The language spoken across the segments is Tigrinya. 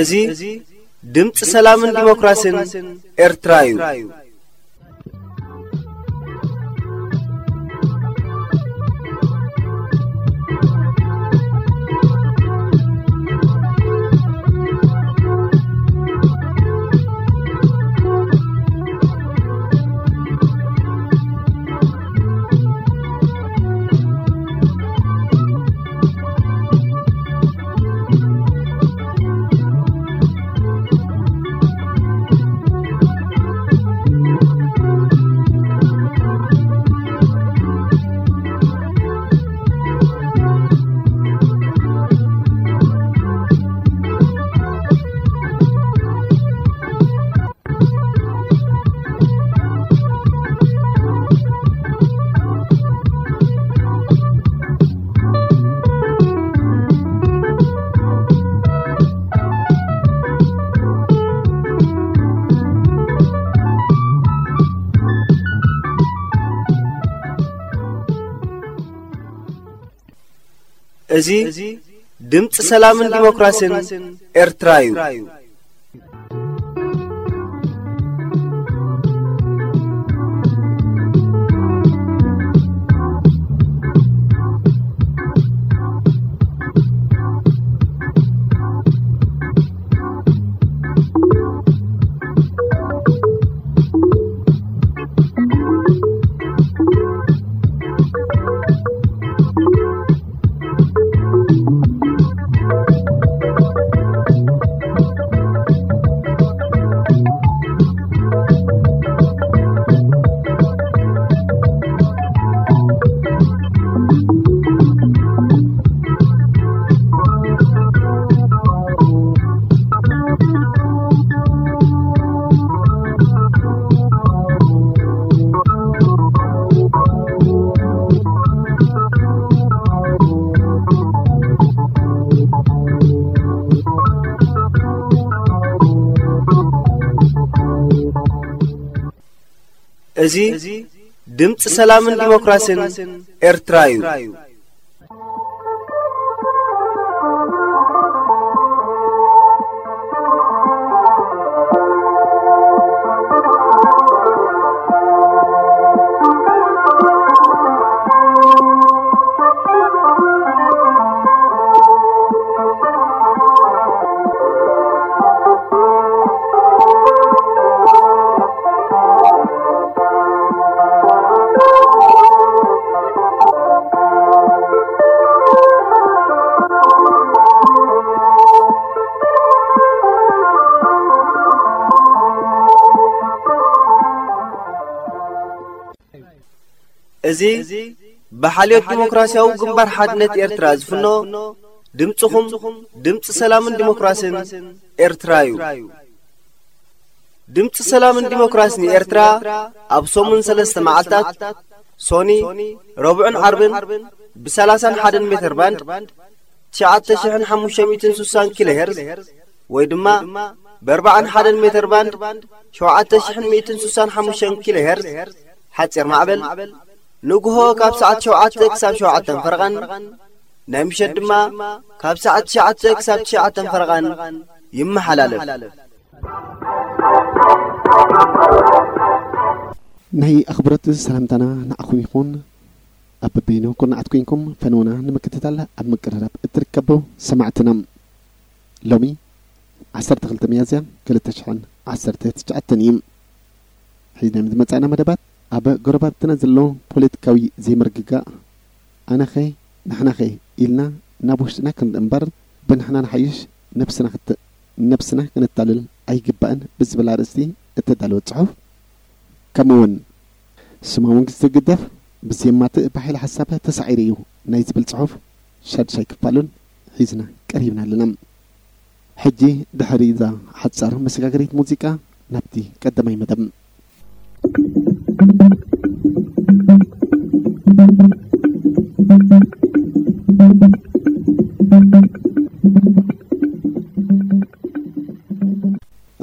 እዚ ድምፂ ሰላምን ዲሞክራሲን ኤርትራ እዩ። እዚ ድምፂ ሰላምን ዲሞክራሲን ኤርትራ እዩ። እዚ ድምፂ ሰላምን ዲሞክራሲን ኤርትራ እዩ። እዚ ብሓልዮት ዲሞክራሲያዊ ግንባር ሓድነት ኤርትራ ዝፍኖ ድምፅኹም፣ ድምፂ ሰላምን ዲሞክራሲን ኤርትራ እዩ። ድምፂ ሰላምን ዲሞክራሲን ኤርትራ ኣብ ሰሙን ሰለስተ መዓልታት፣ ሶኒ፣ ረቡዕን ዓርብን፣ ብ30ን ሓደ ሜትር ባንድ፣ ትሽዓተ ሽሕን ሓሙሽተ ሚእትን ስሳን ኪሎ ሄርዝ፣ ወይ ድማ ብ41 ሜትር ባንድ፣ ሸውዓተ ሽሕን ሚእትን ስሳን ሓሙሽተን ኪሎ ሄርዝ፣ ሓፂር ማዕበል፣ ንግሆ ካብ ሰዓት ሸውዓተ ክሳብ ሸውዓተን ፈረቓን፣ ናይ ምሸት ድማ ካብ ሰዓት ትሽዓተ ክሳብ ትሽዓተን ፈረቓን ይመሓላለፍ። ናይ ኣኽብሮት ሰላምታና ንዓኹም ይኹን። ኣብ በበይኑ ኩርናዓት ኮይንኩም ፈነውና ንምክትታል ኣብ ምቅርራብ እትርከቡ ሰማዕትና፣ ሎሚ ዓሰርተ ክልተ ሚያዝያ ክልተ ሽሕን ዓሰርተ ትሽዓተን እዩ። ሒዝና ዝመጻእና መደባት፣ ኣብ ጎረባብትና ዘሎ ፖለቲካዊ ዘይምርግጋእ፣ ኣነኸ ንሕናኸ ኢልና ናብ ውሽጥና ክንርኢ እምበር፣ ብንሕና ንሓይሽ ነብስና ክት-፣ ነብስና ክነታልል ኣይግባእን ብዝብል ኣርእስቲ እተዳለወ ጽሑፍ፣ ከምኡውን ስማዊ መንግስቲ ህግደፍ ብዜማትእ ብሓይሊ ሓሳብ ተሳዒሩ እዩ ናይ ዝብል ጽሑፍ ሻድሻይ ክፋሉን ሒዝና ቀሪብና ኣለና። ሕጂ ድሕሪ እዛ ሓጻር መሰጋገሪት ሙዚቃ ናብቲ ቀዳማይ መደብ።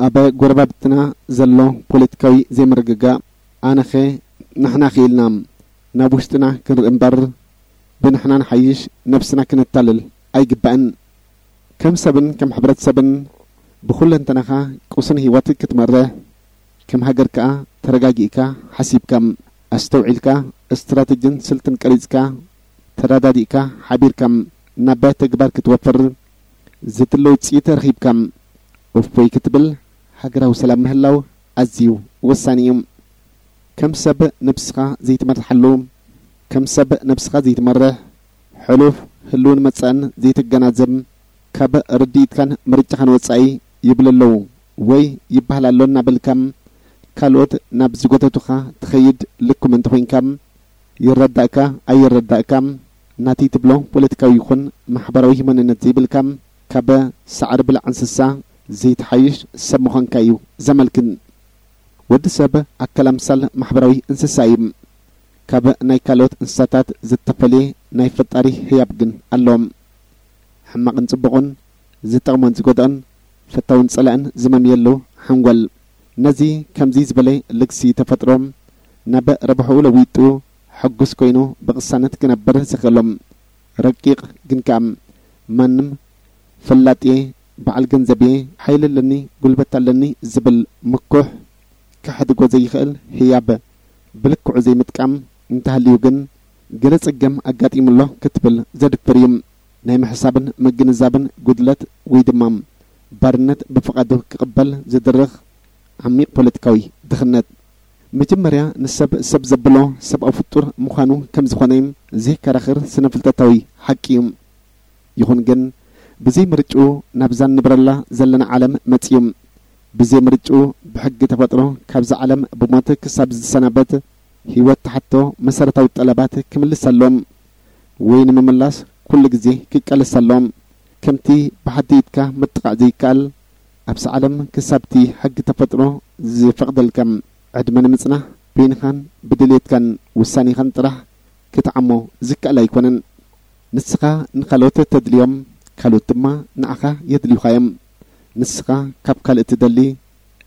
ኣብ ጎረባብትና ዘሎ ፖለቲካዊ ዘይምርግጋእ ኣነኸ ንሕና ክኢልና ናብ ውሽጥና ክንርኢ እምበር ብንሕና ንሓይሽ ነብስና ክነታልል ኣይግባእን። ከም ሰብን ከም ሕብረተሰብን ብኹለንተናኻ ቁስን ህይወት ክትመርሕ፣ ከም ሃገር ከኣ ተረጋጊእካ ሓሲብካ፣ ኣስተውዒልካ፣ ስትራተጂን ስልትን ቀሪጽካ፣ ተረዳዲእካ፣ ሓቢርካ ናብ ተግባር ክትወፍር ዝድለ ውጽኢት ረኺብካ እፎይ ክትብል፣ ሃገራዊ ሰላም ምህላው ኣዝዩ ወሳኒ እዩ። ከም ሰብ ነብስኻ ዘይትመርሓሉ፣ ከም ሰብ ነብስኻ ዘይትመርሕ፣ ሕሉፍ ህልውን መጻእን ዘይትገናዘብ፣ ካብ ርድኢትካን ምርጫኻን ወጻኢ ይብል ኣለዉ ወይ ይበሃል ኣሎ እናበልካ፣ ካልኦት ናብ ዝጎተቱኻ ትኸይድ ልኩም እንተኾይንካ፣ ይረዳእካ ኣይረዳእካ፣ ናተይ ትብሎ ፖለቲካዊ ይኹን ማሕበራዊ መንነት ዘይብልካ፣ ካብ ሳዕሪ ብላዕ እንስሳ ዘይትሓይሽ ሰብ ምዃንካ እዩ ዘመልክት። ወዲ ሰብ ኣካል ኣምሳል ማሕበራዊ እንስሳ እዩ። ካብ ናይ ካልኦት እንስሳታት ዝተፈልየ ናይ ፈጣሪ ህያብ ግን ኣሎ። ሕማቕን ጽቡቕን፣ ዝጠቕሞን ዝጎድኦን፣ ፈታውን ጸላእን ዝመምየሉ ሓንጎል። ነዚ ከምዚ ዝበለ ልግሲ ተፈጥሮ ናብ ረብሕኡ ለዊጡ ሕጉስ ኮይኑ ብቕሳነት ክነብር ዘኽእሎም ረቂቕ ግን ከኣ ማንም ፈላጥ እየ፣ በዓል ገንዘብ እየ፣ ሓይሊ ኣለኒ፣ ጉልበት ኣለኒ ዝብል ምኩሕ ከሕድጎ ዘይኽእል ህያብ ብልክዑ ዘይምጥቃም እንተሃልዩ ግን ገለ ጸገም ኣጋጢሙሎ ክትብል ዘድፍር እዩ። ናይ ምሕሳብን ምግንዛብን ጉድለት ወይ ድማ ባርነት ብፍቓዱ ክቕበል ዝድርኽ ዓሚቕ ፖለቲካዊ ድኽነት። መጀመርያ ንሰብ ሰብ ዘብሎ ሰብኣዊ ፍጡር ምዃኑ ከም ዝኾነ ዘየከራኽር ስነ-ፍልጠታዊ ሓቂ እዩ። ይኹን ግን ብዘይ ምርጭኡ ናብዛ ንብረላ ዘለና ዓለም መጺኡ። ብዘይ ምርጭኡ ብሕጊ ተፈጥሮ ካብዛ ዓለም ብሞት ክሳብ ዝሰናበት ህይወት ትሓቶ መሰረታዊ ጠለባት ክምልስ ኣሎ ወይ ንምምላስ ኩሉ ግዜ ክቃለስ ኣሎ። ከምቲ ብሓዲ ኢድካ ምጥቓዕ ዘይከኣል፣ ኣብዛ ዓለም ክሳብቲ ሕጊ ተፈጥሮ ዝፈቕደልካ ዕድመ ንምጽናሕ በይንኻን ብድልየትካን ውሳኔኻን ጥራሕ ክትዓሞ ዝከኣል ኣይኮነን። ንስኻ ንኻልኦት ተድልዮም፣ ካልኦት ድማ ንዓኻ የድልዩኻ እዮም። ንስኻ ካብ ካልእ ትደሊ፣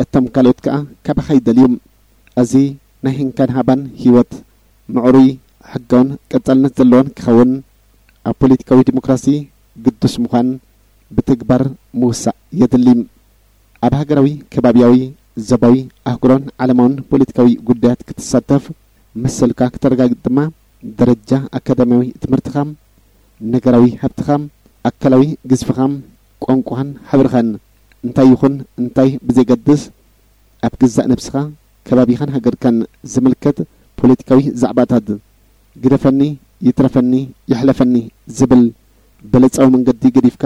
እቶም ካልኦት ከኣ ካባኻ ይደልዩ። እዚ ናይ ህንካን ሃባን ህይወት ምዕሩይ፣ ሕጋውን ቀጻልነት ዘለዎን ክኸውን፣ ኣብ ፖለቲካዊ ዲሞክራሲ ግዱስ ምዃን ብተግባር ምውሳእ የድሊ። ኣብ ሃገራዊ፣ ከባብያዊ፣ ዞባዊ፣ ኣህጉራውን ዓለማውን ፖለቲካዊ ጉዳያት ክትሳተፍ መሰልካ ክተረጋግጽ ድማ፣ ደረጃ ኣካዳሚያዊ ትምህርትኻ፣ ነገራዊ ሃብትኻ፣ ኣካላዊ ግዝፍኻ፣ ቋንቋኻን ሕብርኻን እንታይ ይኹን እንታይ ብዘይገድስ፣ ኣብ ገዛእ ነብስኻ፣ ከባቢኻን ሃገርካን ዝምልከት ፖለቲካዊ ዛዕባታት፣ ግደፈኒ፣ ይትረፈኒ፣ ይሕለፈኒ ዝብል በለጻዊ መንገዲ ገዲፍካ፣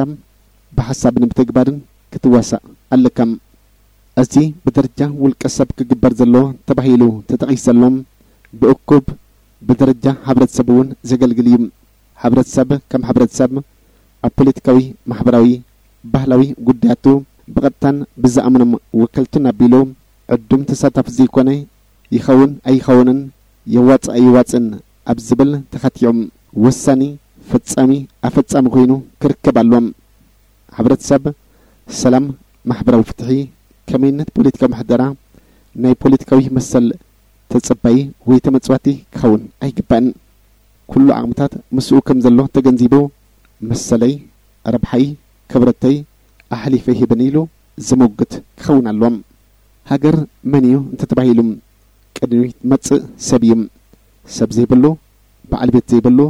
ብሓሳብን ብተግባርን ክትዋሳእ ኣለካ። እዚ ብደረጃ ውልቀ ሰብ ክግበር ዘሎ ተባሂሉ ተጠቒሱ ዘሎ፣ ብእኩብ ብደረጃ ሕብረተሰብ እውን ዘገልግል እዩ። ሕብረተሰብ ከም ሕብረተሰብ ኣብ ፖለቲካዊ፣ ማሕበራዊ፣ ባህላዊ ጉዳያቱ ብቐጥታን ብዝኣምኖም ወከልቱን ኣቢሉ ዕዱም ተሳታፊ ዘይኮነ፣ ይኸውን ኣይኸውንን፣ የዋጽእ ኣይዋጽእን ኣብ ዝብል ተኸቲዑ ወሳኒ፣ ፈጻሚ፣ ኣፈጻሚ ኮይኑ ክርከብ ኣለዎ። ሕብረተሰብ ሰላም፣ ማሕበራዊ ፍትሒ፣ ከመይነት ፖለቲካዊ ምሕደራ፣ ናይ ፖለቲካዊ መሰል ተጸባዪ ወይ ተመጽዋቲ ክኸውን ኣይግባእን። ኩሉ ዓቕምታት ምስኡ ከም ዘሎ ተገንዚቡ፣ መሰለይ፣ ረብሓይ፣ ክብረተይ ኣሕሊፈ ሂብን ኢሉ ዝሞግት ክኸውን ኣለዎ። ሃገር መን እዩ እንተተባሂሉ፣ ቅድሚት መጽእ ሰብ እዩ። ሰብ ዘይብሉ በዓል ቤት ዘይብሉ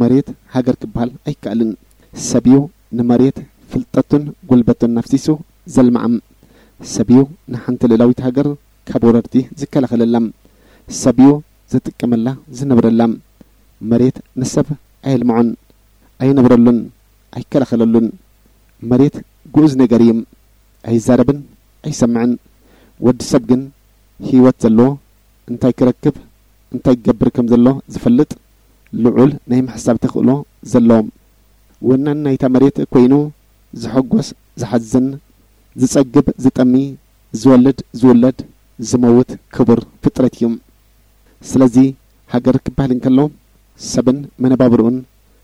መሬት ሃገር ክበሃል ኣይከኣልን። ሰብ እዩ ንመሬት ፍልጠቱን ጉልበቱን ኣፍሲሱ ዘልምዓ። ሰብ እዩ ንሓንቲ ልእላዊት ሃገር ካብ ወረርቲ ዝከላኸለላ። ሰብ እዩ ዝጥቀመላ ዝነብረላ። መሬት ንሰብ ኣየልምዖን፣ ኣየነብረሉን፣ ኣይከላኸለሉን። መሬት ግኡዝ ነገር እዩ። ኣይዛረብን ኣይሰምዕን። ወዲ ሰብ ግን ህይወት ዘለዎ፣ እንታይ ክረክብ እንታይ ክገብር ከም ዘሎ ዝፈልጥ፣ ልዑል ናይ ምሕሳብ ተኽእሎ ዘለዎ፣ ወናን ናይታ መሬት ኮይኑ ዝሕጎስ ዝሓዝን፣ ዝጸግብ ዝጠሚ፣ ዝወልድ ዝውለድ፣ ዝመውት ክቡር ፍጥረት እዩ። ስለዚ ሃገር ክበሃል እንከሎ ሰብን መነባብርኡን፣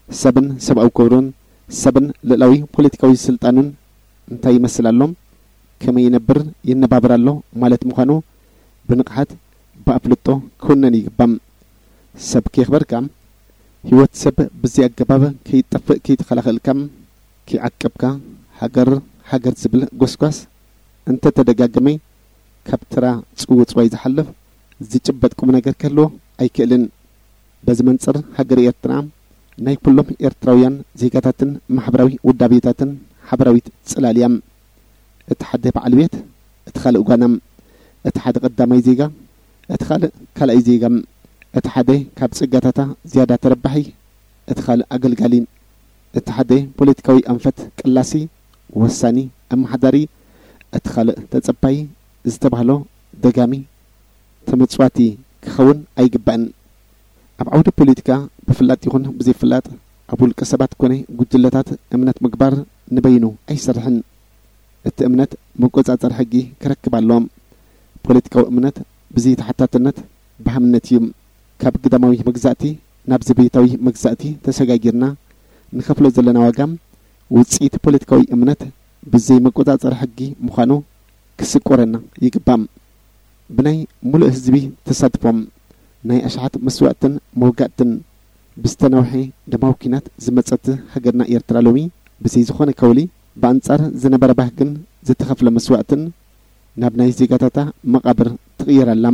ሰብን ሰብኣዊ ክብሩን፣ ሰብን ልእላዊ ፖለቲካዊ ስልጣኑን እንታይ ይመስል ኣሎ፣ ከመይ ይነብር ይነባብር ኣሎ ማለት ምዃኑ ብንቕሓት ብኣፍልጦ ክውነን ይግባእ። ሰብ ከየኽበርካ፣ ህይወት ሰብ ብዘይ ኣገባብ ከይጠፍእ ከይተኸላኸልካ፣ ከይዓቀብካ፣ ሃገር ሃገር ዝብል ጎስጓስ እንተተደጋገመ ካብ ተራ ጽውጽዋይ ዝሓልፍ ዝጭበጥ ቁም ነገር ክህልዎ ኣይክእልን። በዚ መንጽር ሃገር ኤርትራ ናይ ኩሎም ኤርትራውያን ዜጋታትን ማሕበራዊ ውዳቤታትን ሓበራዊት ጽላል እያ። እቲ ሓደ በዓል ቤት፣ እቲ ካልእ ጓና፣ እቲ ሓደ ቀዳማይ ዜጋ፣ እቲ ካልእ ካልኣይ ዜጋ፣ እቲ ሓደ ካብ ጸጋታታ ዝያዳ ተረባሒ፣ እቲ ካልእ ኣገልጋሊ፣ እቲ ሓደ ፖለቲካዊ ኣንፈት ቀላሲ፣ ወሳኒ፣ ኣመሓዳሪ፣ እቲ ካልእ ተጸባዪ ዝተባህሎ ደጋሚ ተመጽዋቲ ክኸውን ኣይግባእን። ኣብ ዓውዲ ፖለቲካ ብፍላጥ ይኹን ብዘይፍላጥ ኣብ ውልቀ ሰባት ኮነ ጉጅለታት እምነት ምግባር ንበይኑ ኣይሰርሕን። እቲ እምነት መቆጻጸሪ ሕጊ ክረክብ ኣለዎ። ፖለቲካዊ እምነት ብዘይተሓታትነት ብሃምነት እዩ። ካብ ግዳማዊ መግዛእቲ ናብ ዘቤታዊ መግዛእቲ ተሰጋጊርና ንኸፍሎ ዘለና ዋጋ ውጽኢት ፖለቲካዊ እምነት ብዘይ መቆጻጸሪ ሕጊ ምዃኑ ክስቆረና ይግባእ። ብናይ ሙሉእ ህዝቢ ተሳትፎ፣ ናይ ኣሽሓት መስዋእትን መውጋእትን ብዝተናውሐ ደማዊ ኲናት ዝመጸት ሃገርና ኤርትራ ሎሚ ብዘይ ዝኾነ ከውሊ ብኣንጻር ዝነበረ ባህግን ዝተኸፍለ መስዋእትን ናብ ናይ ዜጋታታ መቓብር ትቕየር ኣላ።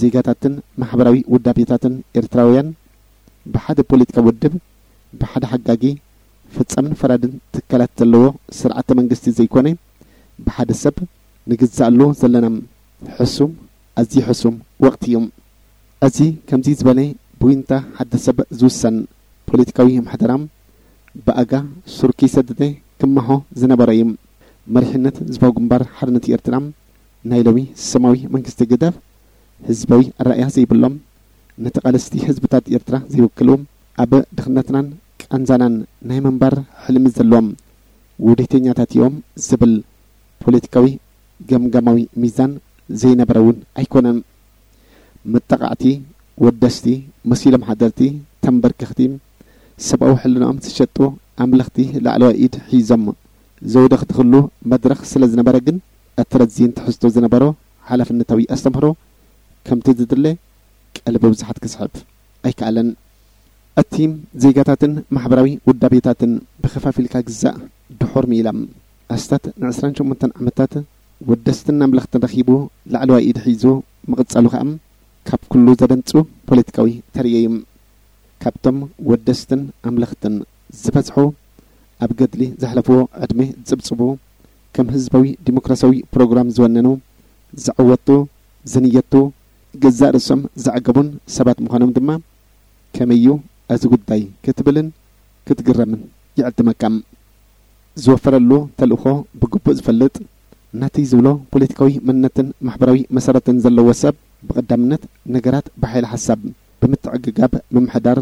ዜጋታትን ማሕበራዊ ውዳቤታትን ኤርትራውያን ብሓደ ፖለቲካዊ ውድብ፣ ብሓደ ሓጋጊ፣ ፈጻምን ፈራድን ትካላት ዘለዎ ስርዓተ መንግስቲ ዘይኮነ፣ ብሓደ ሰብ ንግዛኣሉ ዘለና ሕሱም፣ ኣዝዩ ሕሱም ወቕቲ እዩ። እዚ ከምዚ ዝበለ ብዊንታ ሓደ ሰብ ዝውሰን ፖለቲካዊ ምሕደራ ብኣጋ ሱር ከይሰደደ ክመሖ ዝነበሮ እዩ። መሪሕነት ህዝባዊ ግንባር ሓርነት ኤርትራ ናይ ሎሚ ስማዊ መንግስቲ ግደፍ፣ ህዝባዊ ኣረኣእያ ዘይብሎም፣ ንተቓለስቲ ህዝብታት ኤርትራ ዘይውክሉ፣ ኣብ ድኽነትናን ቃንዛናን ናይ ምንባር ሕልሚ ዘለዎም ውዲተኛታት እዮም ዝብል ፖለቲካዊ ገምጋማዊ ሚዛን ዘይነበረ እውን ኣይኮነን። መጣቓዕቲ፣ ወደስቲ፣ መሲሎም ሓደርቲ፣ ተንበርከኽቲ፣ ሰብኣዊ ሕልናኦም ዝሸጡ ኣምለኽቲ ላዕለዋይ ኢድ ሒዞም ዘውደኽድኽሉ መድረኽ ስለ ዝነበረ ግን፣ እቲ ረዚን ትሕዝቶ ዝነበሮ ሓላፍነታዊ ኣስተምህሮ ከምቲ ዝድለ ቀልቢ ብዙሓት ክስሕብ ኣይከኣለን። እቲ ዜጋታትን ማሕበራዊ ውዳቤታትን ብኸፋፊልካ ግዛእ ድሑር ምኢላ። ኣስታት ንዕስራን ሸሞንተን ዓመታት ወደስትን ኣምለኽትን ረኺቡ ላዕለዋይ ኢድ ሒዙ ምቕጻሉ ከኣ ካብ ኩሉ ዘደንጹ ፖለቲካዊ ተርእዮ እዩ። ካብቶም ወደስትን ኣምለኽትን ዝበዝሑ ኣብ ገድሊ ዘሕለፍዎ ዕድመ ዝጽብጽቡ፣ ከም ህዝባዊ ዲሞክራሲያዊ ፕሮግራም ዝወነኑ፣ ዘዐወቱ፣ ዝንየቱ፣ ገዛእ ርእሶም ዘዕገቡን ሰባት ምዃኖም ድማ ከመይ እዩ እዚ ጉዳይ ክትብልን ክትግረምን ይዕድመካ። ዝወፈረሉ ተልእኾ ብግቡእ ዝፈልጥ፣ ናተይ ዝብሎ ፖለቲካዊ መንነትን ማሕበራዊ መሰረትን ዘለዎ ሰብ ብቐዳምነት ነገራት ብሓይሊ ሓሳብ ብምትዕግጋብ ምምሕዳር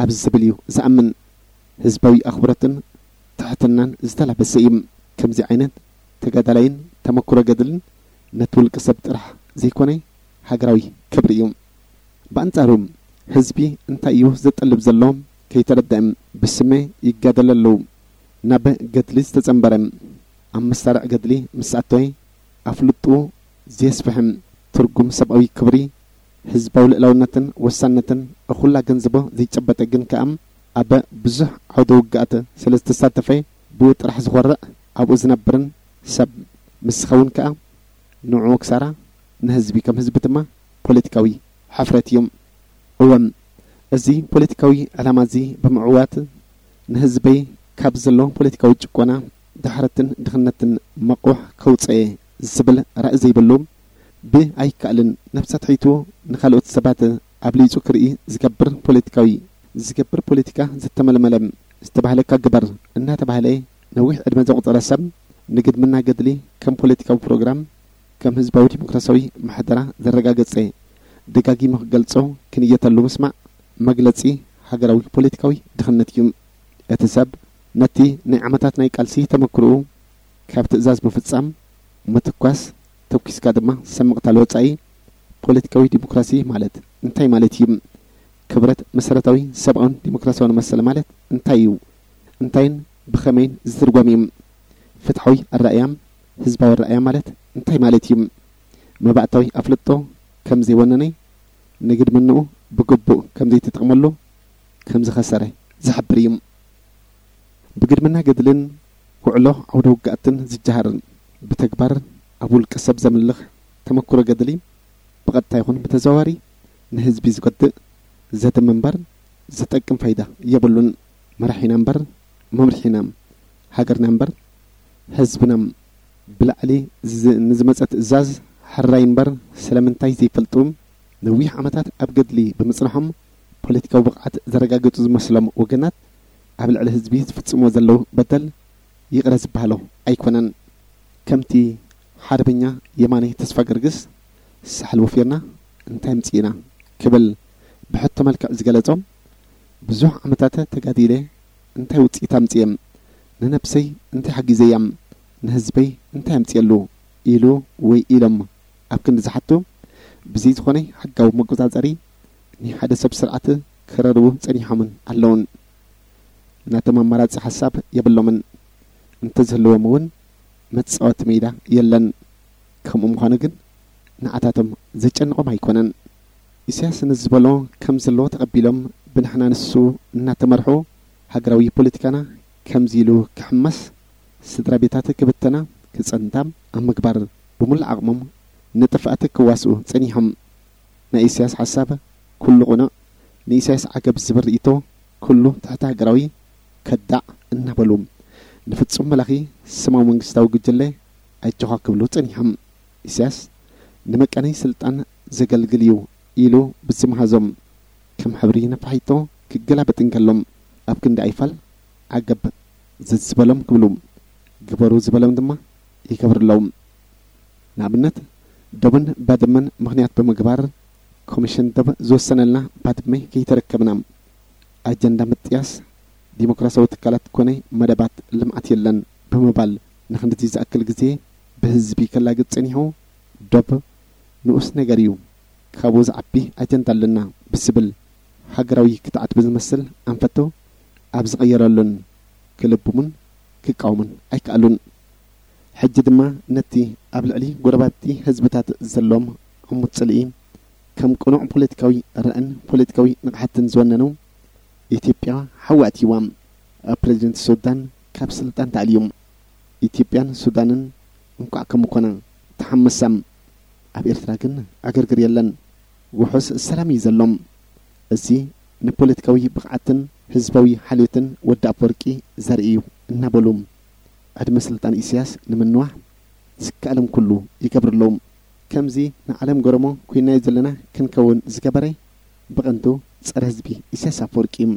ኣብ ዝብል እዩ ዝኣምን። ህዝባዊ ኣኽብሮትን ትሕትናን ዝተላበሰ እዩ። ከምዚ ዓይነት ተጋዳላይን ተመክሮ ገድልን ነቲ ውልቀ ሰብ ጥራሕ ዘይኮነ ሃገራዊ ክብሪ እዩ። ብኣንጻሩ ህዝቢ እንታይ እዩ ዘጠልብ ዘሎ ከይተረድአ ብስመ ይጋደል ኣለዉ። ናብ ገድሊ ዝተጸንበረ ኣብ መሳርዕ ገድሊ ምስ ኣተወ ኣፍልጡ ዘየስፍሕም ትርጉም ሰብኣዊ ክብሪ፣ ህዝባዊ ልእላውነትን ወሳነትን እኹል ኣገንዝቦ ዘይጨበጠ ግን ከኣ ኣብ ብዙሕ ዓውደ ውግኣት ስለ ዝተሳተፈ ብኡ ጥራሕ ዝኾርዕ ኣብኡ ዝነብርን ሰብ ምስ ዝኸውን ከኣ ንዕኡ ክሳራ ንህዝቢ ከም ህዝቢ ድማ ፖለቲካዊ ሕፍረት እዩ። እወ፣ እዚ ፖለቲካዊ ዕላማ እዚ ብምዕዋት፣ ንህዝበይ ካብ ዘሎ ፖለቲካዊ ጭቆና፣ ድሕረትን ድኽነትን መቑሕ ከውፅኤ ዝብል ራእይ ዘይብሉ፣ ብኣይከኣልን፣ ነብሰ ትሒቱ፣ ንኻልኦት ሰባት ኣብሊፁ ክርኢ ዝገብር ፖለቲካዊ፣ ዝገብር ፖለቲካ ዝተመልመለ፣ ዝተባህለካ ግበር እናተባህለ ነዊሕ ዕድመ ዘቑፀረ ሰብ፣ ንግድምና ገድሊ ከም ፖለቲካዊ ፕሮግራም፣ ከም ህዝባዊ ዲሞክራሲያዊ ምሕደራ ዘረጋገፀ፣ ደጋጊሙ ክገልጾ ክንየተሉ ምስማዕ መግለጺ ሃገራዊ ፖለቲካዊ ድኽነት እዩ። እቲ ሰብ ነቲ ናይ ዓመታት ናይ ቃልሲ ተመክሮኡ ካብ ትእዛዝ ምፍጻም፣ ምትኳስ፣ ተኩስካ ድማ ሰብ ምቕታል ወጻኢ፣ ፖለቲካዊ ዲሞክራሲ ማለት እንታይ ማለት እዩ? ክብረት መሰረታዊ ሰብኣውን ዲሞክራሲያውን መሰል ማለት እንታይ እዩ? እንታይን ብኸመይን ዝትርጎም እዩ? ፍትሓዊ ኣረኣእያ፣ ህዝባዊ ኣረኣእያ ማለት እንታይ ማለት እዩ? መባእታዊ ኣፍልጦ ከም ዘይወነነ፣ ንግድምንኡ ብግቡእ ከም ዘይተጠቕመሉ ከም ዝኸሰረ ዝሕብር እዩ። ብግድምና ገድልን ውዕሎ ዓውደ ውግኣትን ዝጀሃር፣ ብተግባር ኣብ ውልቀ ሰብ ዘምልኽ ተመክሮ ገድሊ፣ ብቐጥታ ይኹን ብተዘዋዋሪ ንህዝቢ ዝጎድእ፣ ዘድሚ እምበር ዝጠቅም ፋይዳ የብሉን። መራሒና እምበር መምርሒና፣ ሃገርና እምበር ህዝብና። ብላዕሊ ዝ-፣ ንዝመጸ ትእዛዝ ሕራይ እምበር ስለምንታይ ዘይፈልጡ፣ ነዊሕ ዓመታት ኣብ ገድሊ ብምጽናሖም ፖለቲካዊ ብቕዓት ዘረጋገጹ ዝመስሎም ወገናት፣ ኣብ ልዕሊ ህዝቢ ዝፍጽምዎ ዘለዉ በደል ይቕረ ዝበሃሎ ኣይኮነን። ከምቲ ሓርበኛ የማነ ተስፋ ገርግስ፣ "ሳሕል ወፊርና እንታይ ኣምጺእና?" ክብል ብሕቶ መልክዕ ዝገለጾ፣ "ብዙሕ ዓመታት ተጋዲለ እንታይ ውጽኢት ኣምጺኤ? ንነብሰይ እንታይ ሓጊዘያ? ንህዝበይ እንታይ ኣምጺኤሉ?" ኢሉ ወይ ኢሎም ኣብ ክንዲ ዝሓቱ፣ ብዘይ ዝኾነ ሕጋዊ መቆጻጸሪ ናይ ሓደ ሰብ ስርዓት ክረርቡ ጸኒሖምን ኣለውን። ናቶም ኣማራጺ ሓሳብ የብሎምን። እንተዝህልዎም እውን መጻወቲ ሜዳ የለን። ከምኡ ምዃኑ ግን ንዓታቶም ዘጨንቖም ኣይኮነን። ኢሳያስ ንዝበሎ ከም ዘለዎ ተቐቢሎም ብንሕና ንሱ እናተመርሑ ሃገራዊ ፖለቲካና ከምዚ ኢሉ ክሕመስ፣ ስድራ ቤታት ክብተና ክጸንታ ኣብ ምግባር ብምሉእ ዓቕሞም ንጥፍኣት ክዋስኡ ጸኒሖም። ናይ ኢሳያስ ሓሳብ ኩሉ ቅኑዕ፣ ንኢሳያስ ዓገብ ዝብል ርእይቶ ኩሉ ትሕቲ ሃገራዊ ከዳዕ እናበሉ ንፍጹም መላኺ ስማዊ መንግስታዊ ጉጅለ ኣጆኻ ክብሉ ጸኒሖም። ኢሳያስ ንመቀነይ ስልጣን ዘገልግል እዩ ኢሉ ብዝመሃዞም ከም ሕብሪ ነፋሒቶ ክገላበጥ እንከሎም ኣብ ክንዲ ኣይፋል ዓገብ ዘዝበሎም ክብሉ ግበሩ ዝበሎም ድማ ይገብርሎም። ንኣብነት ዶብን ባድመን ምኽንያት ብምግባር ኮሚሽን ዶብ ዝወሰነልና ባድመ ከይተረከብና ኣጀንዳ ምጥያስ ዲሞክራሲያዊ ትካላት ኮነ መደባት ልምዓት የለን ብምባል ንክንድዚ ዝኣክል ግዜ ብህዝቢ ከላግጽ ጸኒሑ ዶብ ንኡስ ነገር እዩ፣ ካብኡ ዝዓቢ ኣጀንዳ ኣለና ብዝብል ሃገራዊ ክትዓት ብዝመስል ኣንፈቱ ኣብ ዝቐየረሉን ክልብሙን ክቃወሙን ኣይከኣሉን። ሕጂ ድማ ነቲ ኣብ ልዕሊ ጎረባብቲ ህዝብታት ዘሎም ዕሙት ጽልኢ ከም ቅኑዕ ፖለቲካዊ ራእን ፖለቲካዊ ንቕሓትን ዝወነኑ ኢትዮጵያ ሓዊ ኣትይዋ። ፕሬዚደንት ሱዳን ካብ ስልጣን ተኣልዩ። ኢትዮጵያን ሱዳንን እንኳዕ ከምኮና ተሓመሳ። ኣብ ኤርትራ ግን ዕግርግር የለን። ውሑስ ሰላም እዩ ዘሎ። እዚ ንፖለቲካዊ ብቕዓትን ህዝባዊ ሓልዮትን ወዲ ኣፈወርቂ ዘርኢ እዩ እናበሉ ዕድመ ስልጣን ኢሳያስ ንምንዋሕ ዝከኣሎም ኩሉ ይገብሩ ኣለዉ። ከምዚ ንዓለም ገረሞ ኮይናዮ ዘለና ክንከውን ዝገበረ ብቐንዱ ጸረ ህዝቢ ኢሳያስ ኣፈወርቂ እዩ።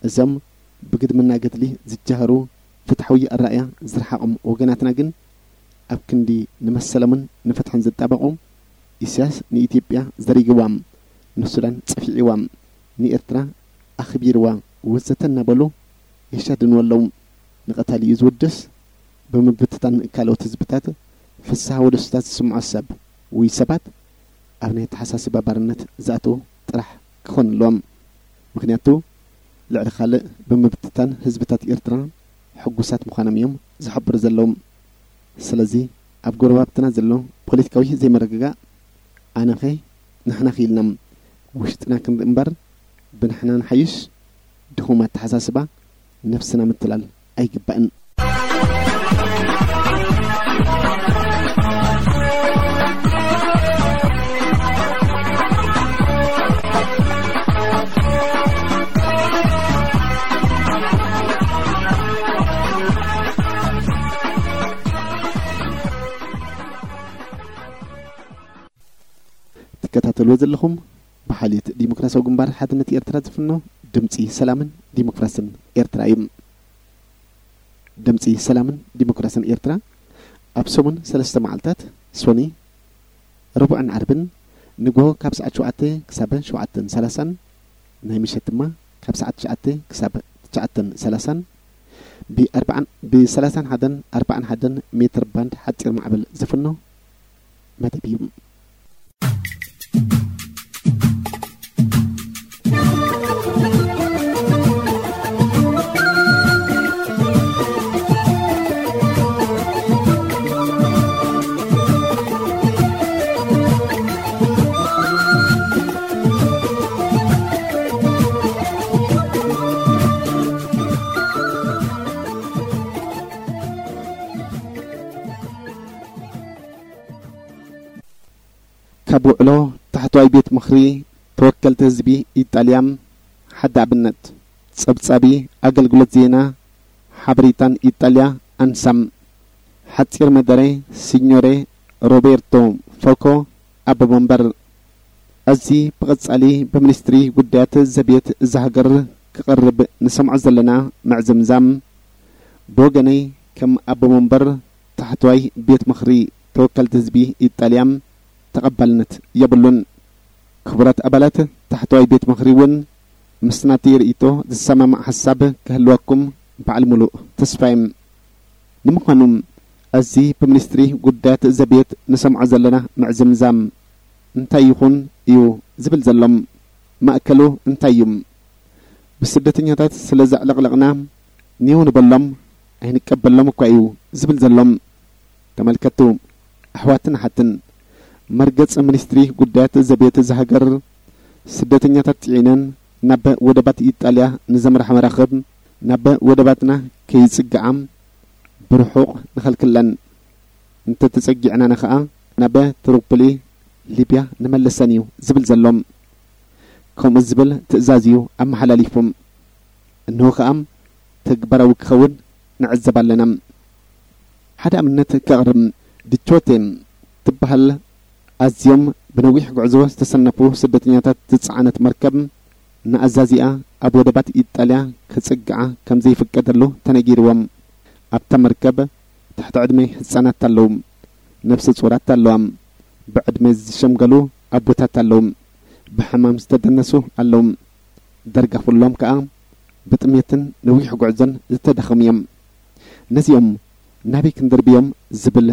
እዞም ብግድምና ገድሊ ዝጃሃሩ ፍትሓዊ ኣረኣእያ ዝረሓቖም ወገናትና ግን ኣብ ክንዲ ንመሰሎምን ንፍትሕን ዝጣበቑ፣ ኢሳያስ ንኢትዮጵያ ዘሪግዋ፣ ንሱዳን ጸፊዕዋ፣ ንኤርትራ ኣኽቢርዋ ወዘተ እናበሉ የሻድንዎ ኣለዉ። ንቐታሊኡ ዝውድስ ብምብትታን ካልኦት ህዝብታት ፍስሃ ወደስታት ዝስምዖ ሰብ ወይ ሰባት ኣብ ናይ ኣተሓሳስባ ባርነት ዝኣትዉ ጥራሕ ክኾኑ ኣለዎም። ምኽንያቱ ልዕሊ ካልእ ብምብትታን ህዝብታት ኤርትራ ሕጉሳት ምዃኖም እዮም ዝሕብሩ ዘለዉ። ስለዚ ኣብ ጎረባብትና ዘሎ ፖለቲካዊ ዘይምርግጋእ ኣነኸ ንሕና ኺኢልና ውሽጥና ክንርኢ እምበር ብንሕና ንሓይሽ ድኹም ኣተሓሳስባ ነብስና ምትላል ኣይግባእን። ትከታተልዎ ዘለኹም ብሓልዮት ዲሞክራሲያዊ ግንባር ሓድነት ኤርትራ ዝፍኖ ድምጺ ሰላምን ዲሞክራስን ኤርትራ እዩ። ድምጺ ሰላምን ዲሞክራስን ኤርትራ ኣብ ሰሙን ሰለስተ መዓልታት፣ ሶኒ፣ ረቡዕን ዓርብን፣ ንግሆ ካብ ሰዓት ሸውዓተ ክሳብ ሸውዓተን ሰላሳን፣ ናይ ምሸት ድማ ካብ ሰዓት ትሽዓተ ክሳብ ትሽዓተን ሰላሳን፣ ብ ኣርባዓን፣ ብ ሰላሳን ሓደን ኣርባዓን ሓደን ሜትር ባንድ ሓጺር ማዕበል ዝፍኖ መደብ እዩ። ካብ ውዕሎ ታሕተዋይ ቤት ምኽሪ ተወከልቲ ህዝቢ ኢጣልያ ሓደ ኣብነት። ጸብጻቢ ኣገልግሎት ዜና ሓበሬታን ኢጣልያ ኣንሳም። ሓጺር መደረ ሲኞሬ ሮቤርቶ ፎኮ ኣቦ መንበር። እዚ ብቐጻሊ ብሚኒስትሪ ጉዳያት ዘቤት እዛ ሃገር ክቐርብ ንሰምዖ ዘለና ምዕዝምዛም፣ ብወገነይ ከም ኣቦ መንበር ታሕተዋይ ቤት ምኽሪ ተወከልቲ ህዝቢ ኢጣልያ ተቐባልነት የብሉን። ክቡራት ኣባላት ታሕተዋይ ቤት ምኽሪ እውን ምስ ናተይ ርእይቶ ዝሰማማዕ ሓሳብ ክህልወኩም በዓል ሙሉእ ተስፋ እየ። ንምዃኑ እዚ ብሚኒስትሪ ጉዳያት ዘቤት ንሰምዖ ዘለና ምዕዝምዛም እንታይ ይኹን እዩ ዝብል ዘሎ? ማእከሉ እንታይ እዩ? ብስደተኛታት ስለ ዘዕለቕለቕና ኒው ንበሎም ኣይንቀበሎም እኳ እዩ ዝብል ዘሎ። ተመልከቱ ኣሕዋትን ኣሓትን፣ መርገጽ ሚኒስትሪ ጉዳያት ዘቤት እዛ ሃገር ስደተኛታት ጽዒነን ናብ ወደባት ኢጣልያ ንዘምርሓ መራኽብ ናብ ወደባትና ከይጽግዓ ብርሑቕ ንኸልክለን፣ እንተተጸጊዕናን ኸኣ ናብ ትሪፖሊ ሊብያ ንመልሰን እዩ ዝብል ዘሎ። ከምኡ ዝብል ትእዛዝ እዩ ኣመሓላሊፉ። እንሆ ኸኣ ተግባራዊ ክኸውን ንዕዘብ ኣለና። ሓደ ኣብነት ከቕርብ። ድቾቴ ትበሃል ኣዝዮም ብነዊሕ ጉዕዞ ዝተሰነፉ ስደተኛታት ዝጸዓነት መርከብ ንኣዛዚኣ ኣብ ወደባት ኢጣልያ ክጽግዓ ከም ዘይፍቀደሉ ተነጊርዎም። ኣብታ መርከብ ትሕቲ ዕድመ ህጻናት ኣለዉ፣ ነፍሰ ጹራት ኣለዋ፣ ብዕድመ ዝሸምገሉ ኣቦታት ኣለዉ፣ ብሕማም ዝተደነሱ ኣለዉ። ዳርጋ ኩሎም ከኣ ብጥሜትን ነዊሕ ጉዕዞን ዝተዳኸሙ እዮም። ነዚኦም ናበይ ክንድርብዮም ዝብል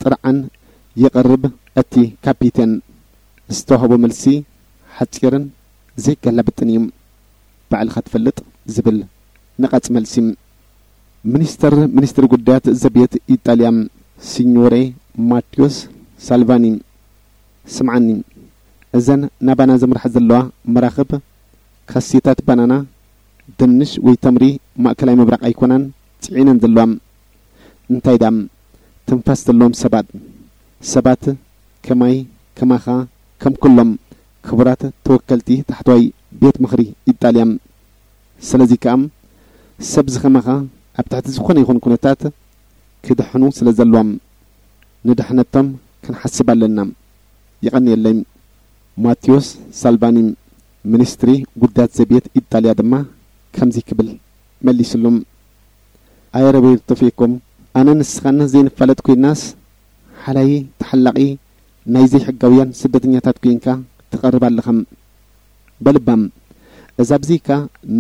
ጥርዓን የቕርብ እቲ ካፒቴን። ዝተዋህቦ መልሲ ሓጺርን ዘይገላብጥን እዩ። ባዕልኻ ትፈልጥ ዝብል ነቓጽ መልሲ። ሚኒስተር ሚኒስትሪ ጉዳያት ዘቤት ኢጣልያ ሲኞሬ ማቴዎስ ሳልቫኒ፣ ስምዓኒ፣ እዘን ናባና ዘምርሓ ዘለዋ መራኽብ ካሴታት ባናና፣ ድንሽ ወይ ተምሪ ማእከላይ ምብራቕ ኣይኮናን ጽዒነን ዘለዋ። እንታይ ደኣ ትንፋስ ዘለዎም ሰባት፣ ሰባት ከማይ ከማኻ ከም ኩሎም ክቡራት ተወከልቲ ታሕተዋይ ቤት ምኽሪ ኢጣልያ። ስለዚ ከኣ ሰብ ዝኸማኻ ኣብ ትሕቲ ዝኾነ ይኹን ኩነታት ክድሕኑ ስለ ዘለዎም ንድሕነቶም ክንሓስብ ኣለና። የቐንየለይ። ማቴዎስ ሳልቫኒ፣ ሚኒስትሪ ጉዳያት ዘቤት ኢጣልያ ድማ ከምዚ ክብል መሊስሉ። ኣየ ሮቤርቶ ፌኮ፣ ኣነ ንስኻን ዘይንፋለጥ ኮይናስ ሓላይ ተሓላቒ ናይ ዘይሕጋውያን ስደተኛታት ኮይንካ ትቐርብ ኣለኻ። በልባም እዛ ብዚካ